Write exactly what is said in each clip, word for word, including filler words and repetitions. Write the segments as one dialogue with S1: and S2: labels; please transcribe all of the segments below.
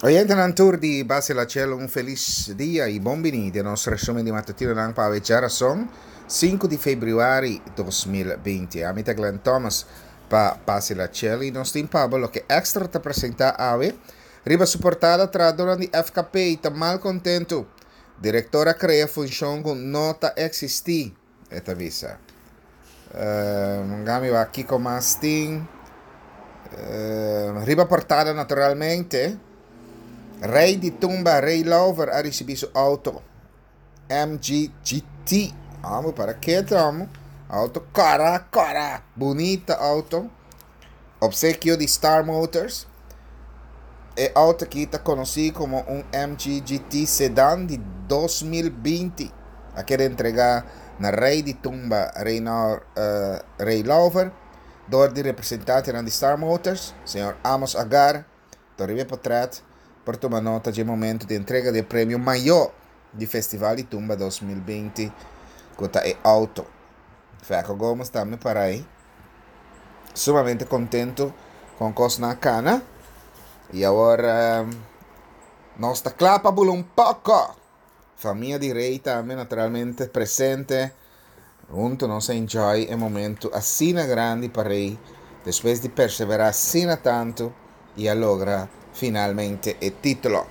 S1: Oyentenan tur di Base La Chelo un felis dia y bon bini den nos resumen di matutinonan pa awe djarason sinku di februari dos mil binti. Ami ta Glenn Thomas pa Base La Chelo y nos tin pa bo loke Extra ta presenta awe. Riba su portada trahadornan di F K P ta mal contento. Director a crea funcion cu no ta existi, e ta bisa. Uh, gami wa kiko mas tin. Uh, riba portada naturalmente. Rey di Tumba, Ray Lawver, a recibi su auto M G G T. Amo, para que amo? Auto cara, cara. Bonita auto. Obsequio di Star Motors. E auto aqui tá conhecido como um M G G T sedan de dois mil e vinte. A querer entregar na Rey di Tumba, Reynor, uh, Ray Lawver, door de representante de Star Motors, senhor Amos Agar, Torribe Potret, por tomar nota de momento de entrega de prêmio maior de Festival de Tumba dois mil e vinte, que é auto. Feco Gomes também para aí. Sumamente contento com Cosna Cana. E agora, nós está clapa um pouco. Família de Rei também naturalmente presente. Junto nós enjoy o momento assim grande para Rei. Depois de perseverar assim tanto e a logra finalmente o título.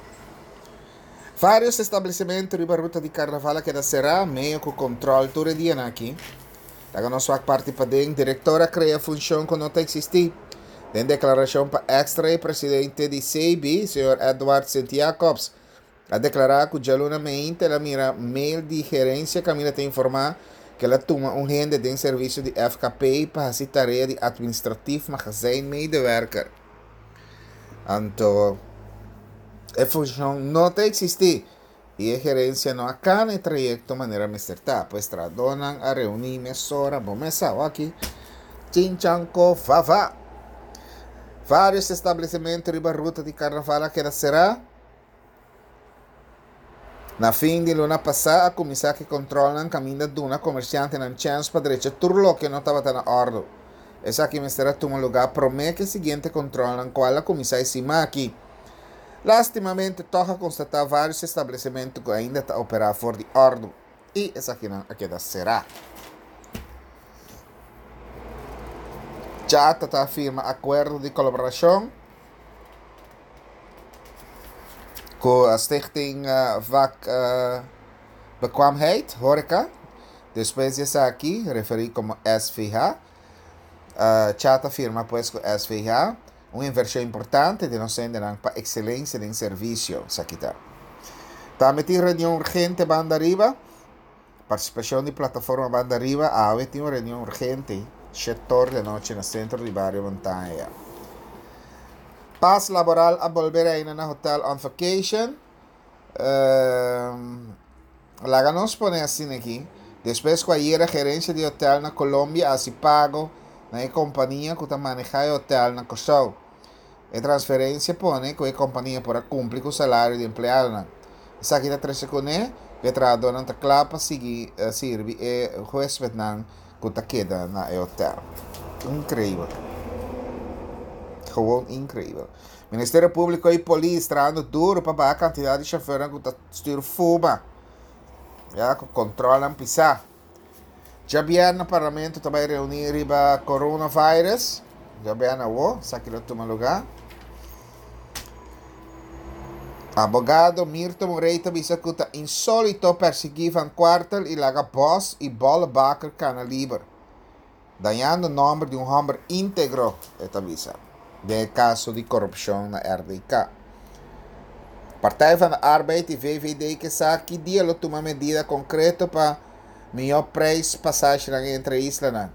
S1: Vários estabelecimentos riba ruta de carnaval que da será meio com controle todo dia aqui. Daga nosso parte para dentro, diretora cria função que não tá existir. Den declaração para extra e presidente de C B, senhor Edward Santiacobs, a declarar que jalunamente ela mira mail de gerência que a te informar que ela toma um rende de serviço de F K P para fazer tarefa de administrativo magazijn medewerker. Anto, a função não tá existir e a gerência não acaba o trayecto maneira mesterta, pois tradonan a reunir mesora, bom mesa, aqui, chinchanco, favá. Vários estabelecimentos riba ruta de carnaval que será na fim de luna passada a começar que controlam caminho de uma comerciante na chance para direita tudo que não estava na ordem. Essa aqui me será toma lugar promete que seguinte controlam qual a começar em cima aqui. Lastimamente toca constatar vários estabelecimentos que ainda está operar fora de ordem e essa aqui não aqui da será. Chata tá firma acordo de colaboração com a Stichting uh, Vak uh, Bekwaamheid, Horeca. Depois dessa aqui, referi como S V H. Uh, Chata firma pues com S V H, uma inversão importante de nos para excelência em serviço. Isso aqui tá. Também tem reunião urgente banda arriba. Participação de plataforma banda arriba. A tem uma reunião urgente. Setor de noite no centro de Barrio Montanha. Paz laboral a volver aí na hotel on vacation. Uh, Laga nos pone assim aqui. Depois que ayer a gerência de hotel na Colômbia assim pago na companhia que está manejando o hotel na Costa. A transferência pone que a companhia para cumprir com o salário de empregado. Essa aqui está treze com ele, que a não está claro para seguir servir e o huésped não que está queda na hotel. Incrível. Gewoon incrível. Ministério Público e polícia trabalhando duro para baixar a quantidade de chauffeurs que está stuur fuma. Já que controlam pisar. Já viernes no parlamento também reunir riba coronavirus. Já viernes o, saque lo toma lugar. Abogado Mirto Moreira bisa que tá insólito perseguir Van Quartel e laga Bos e Bolle Bakker cana liber. Dañando o nome de um homem íntegro, esta visa. De caso de corrupção na R D K. Partij van de Arbeid e V V D que sabe que dia lo toma medida concreta para melhor preço passagem entre islas.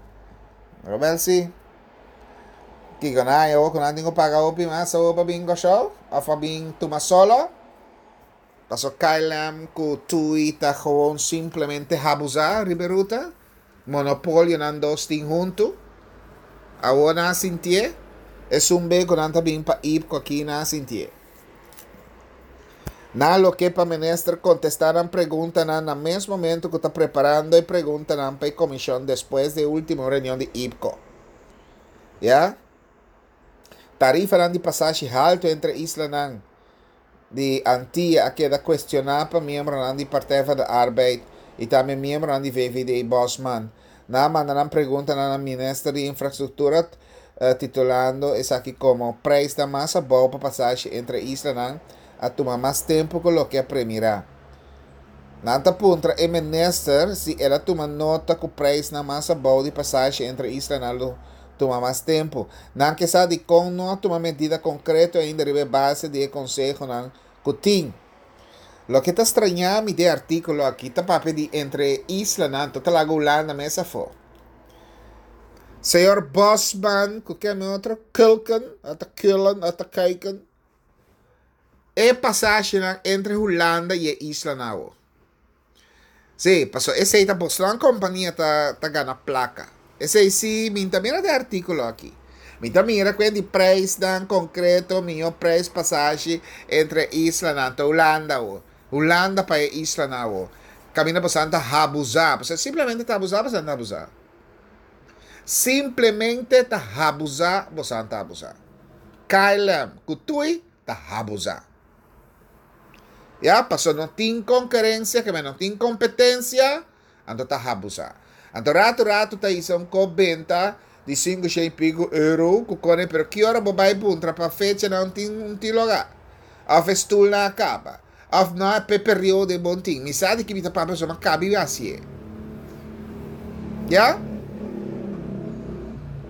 S1: Robel sim. Que ganha eu com ninguém paga o mas o para bingo show, of para bing toma solo. Paso K L M ku Tui ta gewoon simplesmente abusar riberuta. Monopólio nan dos tin junto. Agora sintie. Es un beco nan ta bing pa ip ko aqui na sintie. Na lo que pa minister contestaran pregunta na na mesmo momento que está preparando e pregunta na pa comissão depois de última reunião de I P C O. Ya? Tarifa nan de passagem alto entre isla nan. Di Antia a keda kuestioná pa miembronan di Partij van de Arbeid i tambe miembronan di V V D Bosman. Nan a manda nan preguntanan na minister di Infrastruktura, titulando esaki komo "Preisnan mas abou pa pasashi entre islanan a tuma mas tempu ku loke a premirá". Nan ta puntra e minister si el a tuma nota ku preisnan mas abou di pasashi entre islanan lo tuma mas tempu. Nan ke sa dikon no a tuma medida konkreto ainda riba e base di e konsehonan ku tin. Loke ta straña mi den e artíkulo aki ta papia di entre islanan, ta laga Hulanda mes afó. Señor Bosman, ku ken otro? Kulken, ata Kullen, ata Kuiken. E pasashinan entre Hulanda i e islanan. Sí, paso esei ta bosnan kompania ta, ta gana plaka. Esei sí, mi ta mira e artíkulo aki. Mi ta mira ku di preisnan konkreto, mihó preis pasashi entre islanan, ta Hulanda o. Hulanda pa e islanan o. Kaminda bosnan ta abusá. Bo simplemente ta abusá, bosnan ta abusá. Simplemente ta abusá, bosnan ta abusá. K L M, ku T U I ta abusá. Ya, paso no tin konkurensia, ke no tin kompetensia, anto ta abusá. Anto ratu ratu ta hisa un kos benta di sinku i piku euro, ku kone, pero ki ora bo bai puntra pa fecha no tin un tin lugá. Òf stul nan a kaba. Òf no e periodo bon tin. Mi sabe ku mi ta papia so ma kabi hasi. Ya?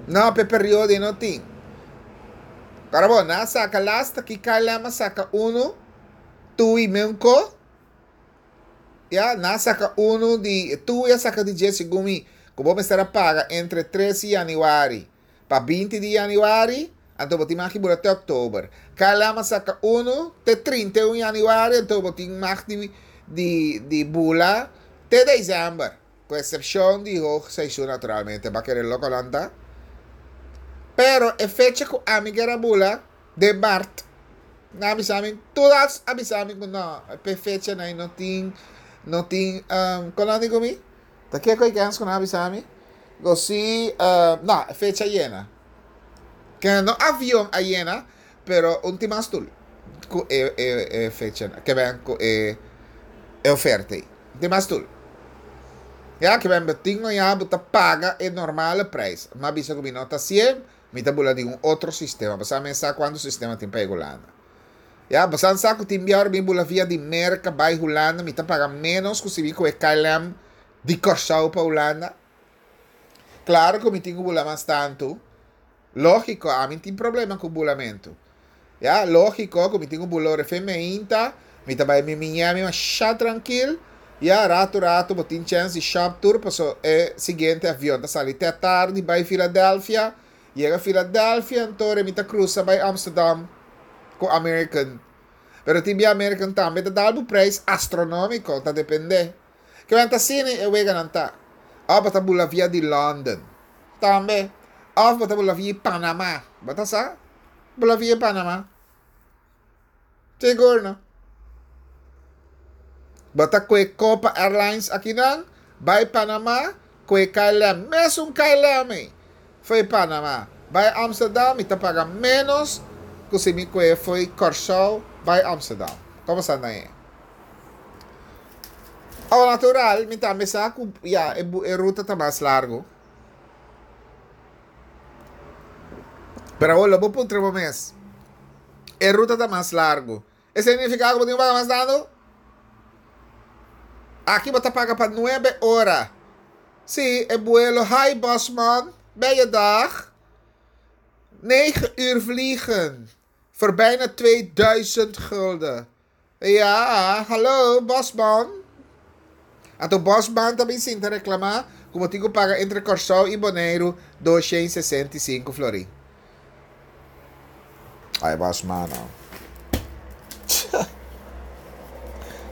S1: No, pe periodo no tin. Pero bon, nan a saka lasta ku K L M a saka unu, T U I menko. Ya, nan a saka unu di T U I a saka di dje segun mi, ku bo mester paga entre tres di yanüari pa binti di yanüari, anto bo tin mag bula te òktober. K L M a saka unu te trinta i un yanüari, anto bo tin mag di di di bula te desèmber. Ku eksepshon di hoogseizoen naturalmente, pa kere loko lanta. Pero e fecha ku ami ker a bula den mart, nan a bisa mi, tur a bisa mi ku no, e fecha nan no tin, no tin, um, kon nan ku mi? Ta kiko ku ku nan a bisa mi? Go si, uh, no, fecha yena. Ke no avion a yena, pero un tin mas stul. Ku e, e, e fecha, ke ben ku e, e oferta. Tin mas stul. Ja, ke men tin no ya bo ta paga e normale prijs. Ma bisa ku mi no ta sien, mi ta bula di un otro sistema. Basta mi sa kuantu sistema tin pa Hulanda. Ja, basta sa ku tin biar mi bula via di Merka bai Hulanda, mi ta paga menos ku si mi ku e K L M di Kòrsou pa Hulanda. Klaro ku mi tin ku bula mas tantu. Lógiko, ami tin problema ku bulamentu. Ja, lógiko ku mi tin ku bula ora meinta, mi ta bai mi Miami masha trankil. Ja, ratu ratu, bo tin chance di shop tur, paso e siguiente avion ta sali te tardi, bai Philadelphia, yega Philadelphia, anto mi ta krusa bai Amsterdam ku American. Pero tin bia American tambe ta dal preis astronómiko, ta dependé. Ke men ta asina e wega nan ta. Òf bo ta bula via di London. Tambe. Òf bo ta bula via Panama. Bo ta sa? Bula via Panama. Sigur no? Bo ta kue Copa Airlines aki nan, bai Panama, kue K L M, mesun K L M, for di Panama. Bai Amsterdam, mi ta paga menos ku si mi kue for di Kòrsou, bai Amsterdam. Kon ta ei? Ao natural, mi tambe sa ku ja, e, e ruta ta mas largu. Pero awor, bo puntra bo mes. E ruta ta mas largu. Esei ta nifiká ku bo tin ku paga mas tantu? Aki bo ta paga pa nuebe ora. Sí, e vuelo. Hi Bosman, ben je dag? negen uur vliegen. Voor bijna tweeduizend gulden. Ja, hallo Bosman. Anto Bosman tambe sinta reklamá, ku bo tin ku paga entre Kòrsou i Boneiru dosshen sesenta i sinku florin. Ai, Bosman, no.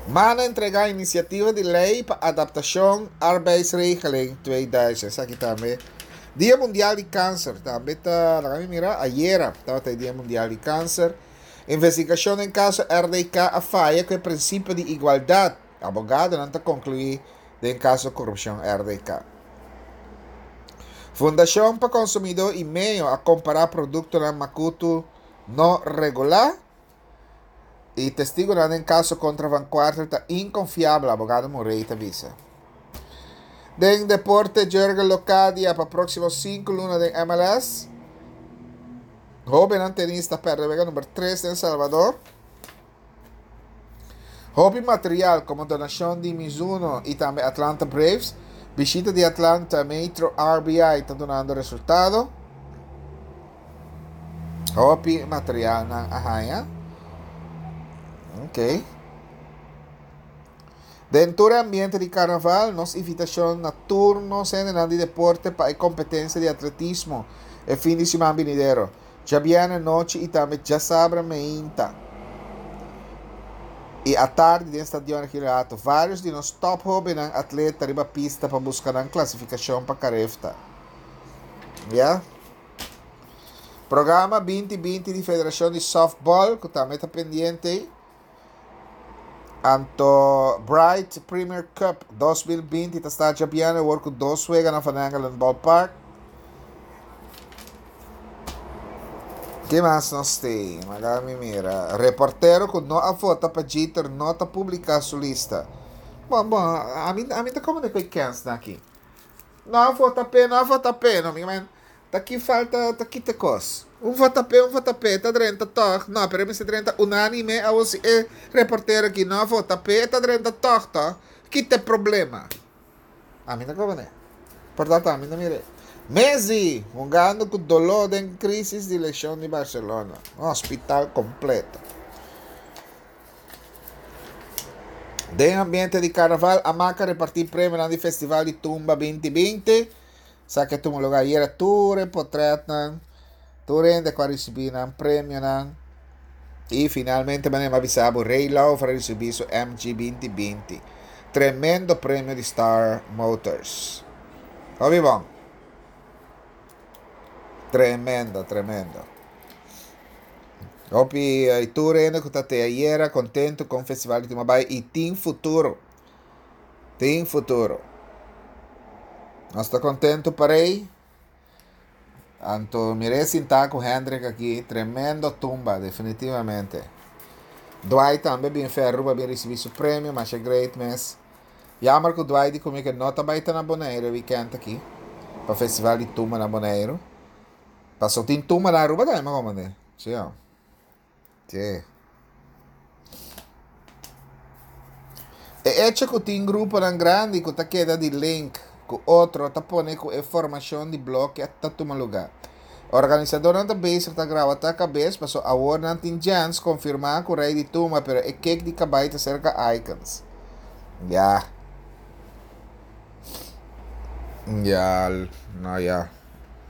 S1: Man a entregá inisiativa di lei pa adaptashon arbeidsregeling dos mil. Esaki tambe. Dia Mundial di Kanser. Tambe ta, laga mi mira, ayera tabata Dia Mundial di Kanser. Investigashon den kaso R D K a faya ku e prinsipio di igualdat. Abogadonan ta konkluí den kaso korupshon R D K. Fundashon pa Konsumidó i Medio a kompará produktonan makutu no regulá. E testigonan den caso contra Van Kwartel ta inconfiabel, abogado Murray ta bisa. Den deporte, Jurgen Locadia pa proximo cinco luna den M L S. Hoben tenista perde wega number tres den Salvador. Hopi material como donacion di Mizuno y tambe Atlanta Braves. Bishita di Atlanta Metro R B I ta dunando resultado. Hopi material nan a haya. Ok. Den e ambiente di carnaval, nos invitacion na tur nos di deporte pa e competencia di atletismo e fin di siman venidero. Diabierna anochi y tambe diasabra mainta. Y atardi den stadion Girato, varios di nos top hoben atleta riba pista pa busca e clasificacion pa Carifta. Yeah? Programa dos mil binti di Federacion di Softball, cu tambe ta pendiente. Anto Bright Premier Cup dos mil binti ta start diabierna cu dos wega na Van Engelen Ballpark. Ki mas nos tin? Laga mi mira. Reportero cu no a vota pa Jeter no ta publica su lista. Bon, bon, ami, ami ta como cu kens aki. No a vota p'e, no a vota p'e, no, mi man. Ta aki falta, ta aki te cos. Un vota p'e, un vota p'e, ta drenta toch. No, pero mi drenta unanime, a e reportero aki no a vota p'e, ta drenta toch, toch. Ki te problema? Ami no como ne. Por tanto, ami no mira. Messi, hungando cu dolor den crisis di lesion di Barcelona. Un hospital completo. Den ambiente di carnaval, Amaca reparti premio na Festival di Tumba dos mil binti. Sa cu tuma lugar ayera, tur portretnan, tur hende cu a ricibi nan premio nan. Y finalmente, manera mi a bisa bo, Ray Love a ricibi su M G dos mil binti. Tremendo premio di Star Motors. Hopi bon. Tremendo, tremendo. Hopi y tur hende cu ta te ayera contento cu e festival di Tumba y tin futuro. Tin futuro. Nos ta contento pa Ray. Anto, mire sinta cu Hendrik aki, tremendo tumba, definitivamente. Dwight tambe bin ferro, bin ricibi su premio, mas e great mes. Jammer cu Dwight di cu mi cu no ta bay na Bonaire weekend aki, pa festival di tumba na Bonaire. Paso tin tumba na Aruba tambe, como ne? Si, oh. Si. E hecho cu tin grupo tan grandi cu ta keda di link cu otro ta pone cu e formacion di bloke ta tuma lugar. Organisador nan ta bezig ta graba ta cabes, paso awor nan tin chance confirma cu rey di tumba, pero e cake di cabay ta cerca Icons. Ja. Ja, no ja.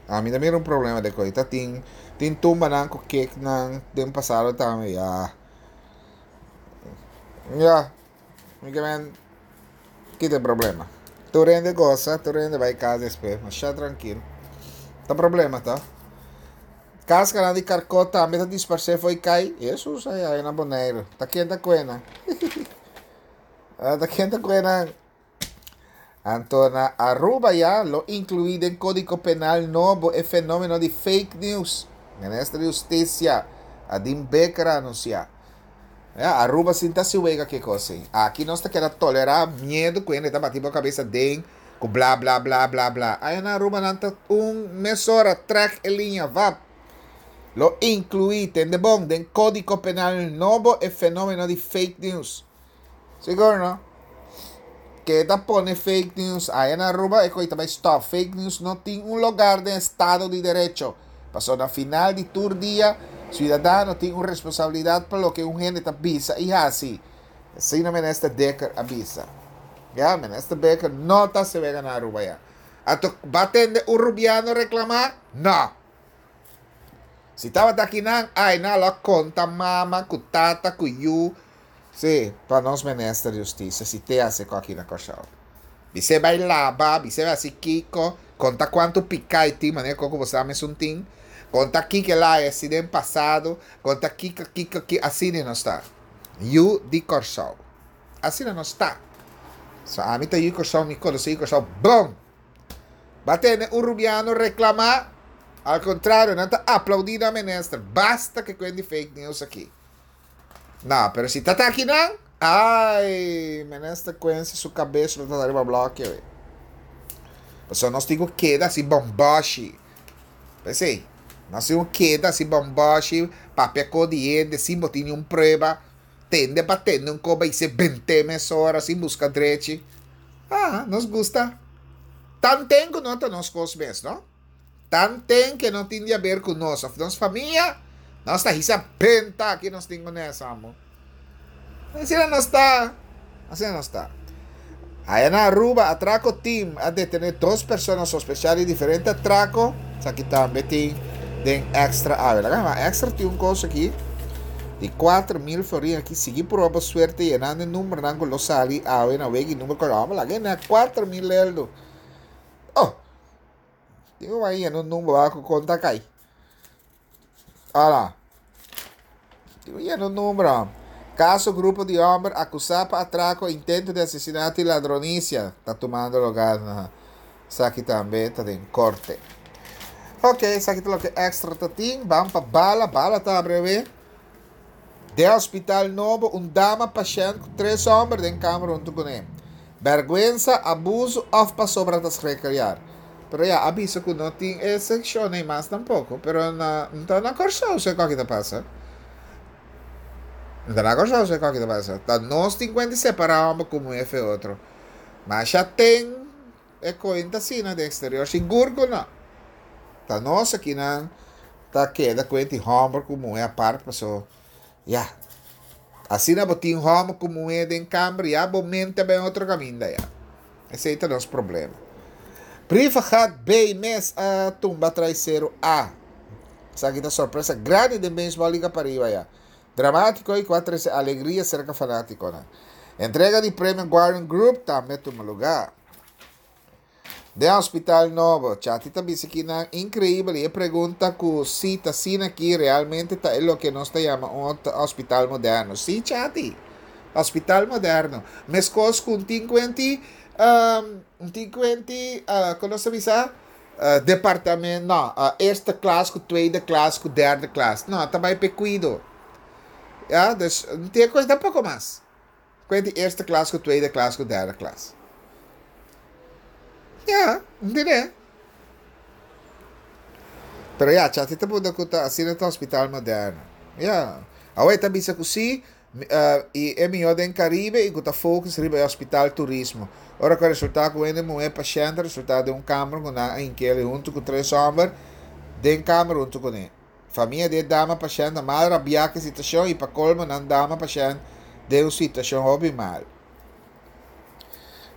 S1: Ami tambe un problema di coisa. Tin tin tumba nan cu cake nan den pasado tambe, ja. Ja. Mi men, ki tin problema? Tur hende goza, tur hende bay cas despues, mas ya trankil. Ta problema, ta? Cascara di carco tambe ta disparce foi cai. Jesus, ai, ai, na Bonaire. Ta kende cuena. Ta kende cuena. Anto na Aruba ya lo inclui den Codigo Penal nobo e fenomeno di fake news. Minister di Husticia, Andin Bikker, a anuncia. Ja, Aruba sinta si wega que cosa. Aki nos ta keda tolera miedo cu hende ta bati bo cabes den cu bla bla bla bla bla. Ey na Aruba nan ta un mesora trek e linea va. Lo inclui tende bon den Codigo Penal nobo e fenomeno di fake news. Sigur, no? Keda pone fake news ey na Aruba e coita bay stop. Fake news no tin un lugar den Estado di Derecho. Paso na final di tur dia, ciudadano tin un responsabilidad pa loke un hende ta bisa y haci. Asina minister Dekker a bisa. Ja, minister Bikker no ta se wega na Aruba ya. Anto bo tende un rubiano reclama? No. Si tabata aki nan, ai nan lo conta mama, cu tata, cu yu. Si, pa nos minister di Husticia, si te hace aki na Corsou. Bise bay laba, bise bay haci kiko, conta cuanto pica e tin, maneira como você sabe um tin. Conta kiko lá é assim pasado, conta kiko, kiko, kiko, asina no ta. Yu di Corsou. Asina no ta. So, ami ta yu Corsou, mi conoce yu Corsou, bom! Bo tende un rubiano reclama, al contrario, nan ta aplaudi e minister. Basta cu e fake news aki. No, pero si ta aki nan, ai, minister Quincy su kabes lo ta riba blòki. Pasobra nos tin ku keda asina bombashi. P'esei, nos tin ku keda asina bombashi, papia ku di hende, sin bo tin un prueba, tende pa tende un koba i se bente mesora, sin buska drechi. Ah, nos gusta. Tanten ku no ta nos kos mes, no? Tanten ku no tin di aber ku nos, òf nos famia, nos ta hisa benta aki nos tin ku amo. Asina nos ta. Asina nos ta. Aya na Aruba, atrako team a detené dos persona sospechá di diferente atrako. Esaki tambe tin den Extra awe. Extra tin un kos aki di kuater mil florin aki. Sigui proba suerte yenando e numbernan ku lo sali awe na wega number ku lo la kuater mil leldo. Oh, digo aí no número ku konta kai. Ala. Digo yena number. Kaso grupo di hòmber akusá pa atrako, intento di asesinato i ladronisia ta tumando lugá na esaki tambe ta den korte. Ok, esaki ta loke Extra ta tin. Ban pa Bala, Bala ta breve. Den hospital nobo, un dama pashènt ku tres hòmber den kamber huntu kuné. Bèrgwensa, abuso òf pasobra ta schrikkeljaar. Pero ya, a bisa ku no tin e sekshon mas tampoko. Pero na, no na Kòrsou, sé kiko ta pasa. No na Kòrsou, sé kiko ta pasa. Ta nos tin ku separá un ku muhé fo'i otro. Mas ya tin e kuenta asina den eksterior, sigur ku no. Ta nos akinan ta keda kuenta hòmber ku muhé apart, paso. Ya. Asina bo tin hòmber ku muhé den kamber, ya bo mente bai otro kaminda ya. Esei ta nos problema. Brievengat B mes a tumba Trai Seru A. Esaki ta sorpresa grandi di Baseball Liga Pariba ya. Dramátiko i ku a trese alegria serka fanátikonan. Entrega di premio Guardian Group tambe a tuma lugá. Den hospital nobo, Chati ta bisa ku inkreibel i pregunta ku si ta asina aki realmente ta loke nos ta yama un hospital moderno. Si, Chati. Hospital moderno. Meskos ku sinkuenta, um, sinkuenta, uh, kon nos bisa? Uh, departamento, no, uh, eerste klas, ku tweede klas, ku derde klas. No, tambe pa kuido. Ja, dus no tin kos tampoko mas. Kuenta eerste klas, ku tweede klas, ku derde klas. Ja, entendé? Pero ja, Chati ta puntra ku ta asina ta hospital moderno. Ja. Awor ta bisa ku si, uh, i e mihó den Karibe i ku ta focus riba hospital turismo. Ora ku resultá ku hende muhé pashènt resultá den un kamber ku nan a hink'é huntu ku tres hòmber den kamber huntu kuné. Famia di dama pashènt mal rabiá ku situashon i pa kolmo nan dama pashènt den un situashon hopi mal.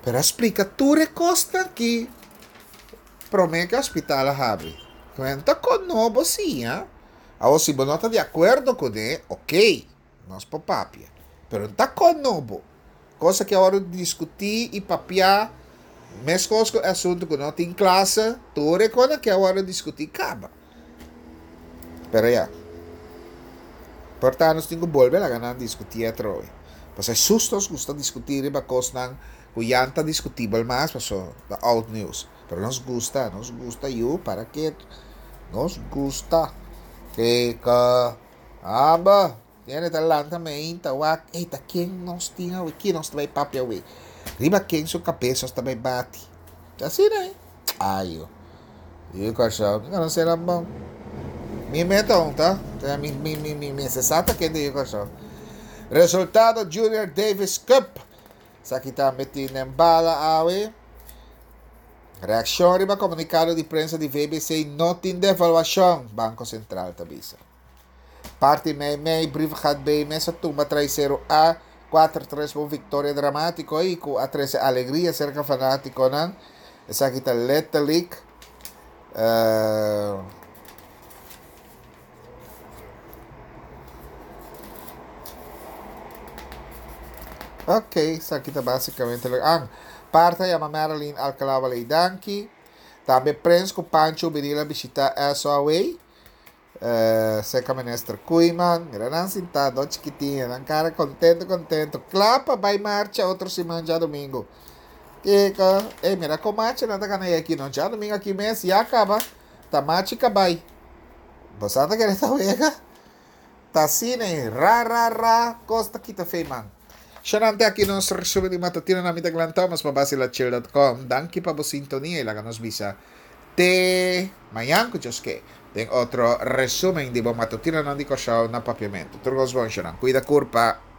S1: Pero splika tur e kosnan aki promé ku hospital a habri. Kuenta ku nobo si, ha? Awor si bo no ta di akuerdo kuné, ok, nos por papia. Pero no ta ku nobo. Kos ku awor diskutí i papia, meskos ku asuntu ku no tin klase, tur e kos ku awor diskutí kaba. Pero ya. Por tantu, nos tin ku bolbe laga nan diskutí atrobe. Pasobra susto nos gusta diskutí riba kosnan ku ya ta diskutibel mas, paso ta old news. Pero nos gusta, nos gusta yu, para ke nos gusta. Ku aba, tiene ta lanta meinta wak, ei ta ken nos tin awe, ken nos ta bai papia awe. Riba ken su kabes nos ta bai bati. Asina, ne? Ai, yo. E Kòrsou, no será bon. Mi meta ta? Mi mi mi mi mi sa ken di Kòrsou. Resultado Junior Davis Cup. Esaki tambe tin den Bala awe. Reakshon riba komunikado di prensa di V B C, no tin devaluashon, Banko Sentral ta bisa. Parti mei mei, Brievengat B mes a tumba Trai Seru A, kuater tres, un viktoria dramátiko i ku a trese alegria serka fanátikonan. Esaki ta letterlijk. Uh, ok, esaki ta básikamente. Ah, parta yama Marilyn Alcalá Danki. Tambe Prens ku Pancho bini a bishitá S O A. Uh, serka minister Koeiman, mira nan sintá, chikitin, nan kara kontentu, kontentu. Kla pa bai marcha otro siman djadumingu. Kiko, eh, mira kon marcha nan ta kana aki no, djadumingu aki mes, ya kaba, ta marcha kabai. Bo ta kere ta wega? Ta asina, ra ra ra, kos ta kita fei man. Shonante, aki nos resumen di matutino. Ami ta Glenn Thomas pa Basilachil punto com. Danki pa bo sintonia i laga nos bisa te mañan ku Dios ke den otro resumen di bo matutino nan di Kòrsou na Papiamentu. Tur kos bon, shonan. Kuida kurpa.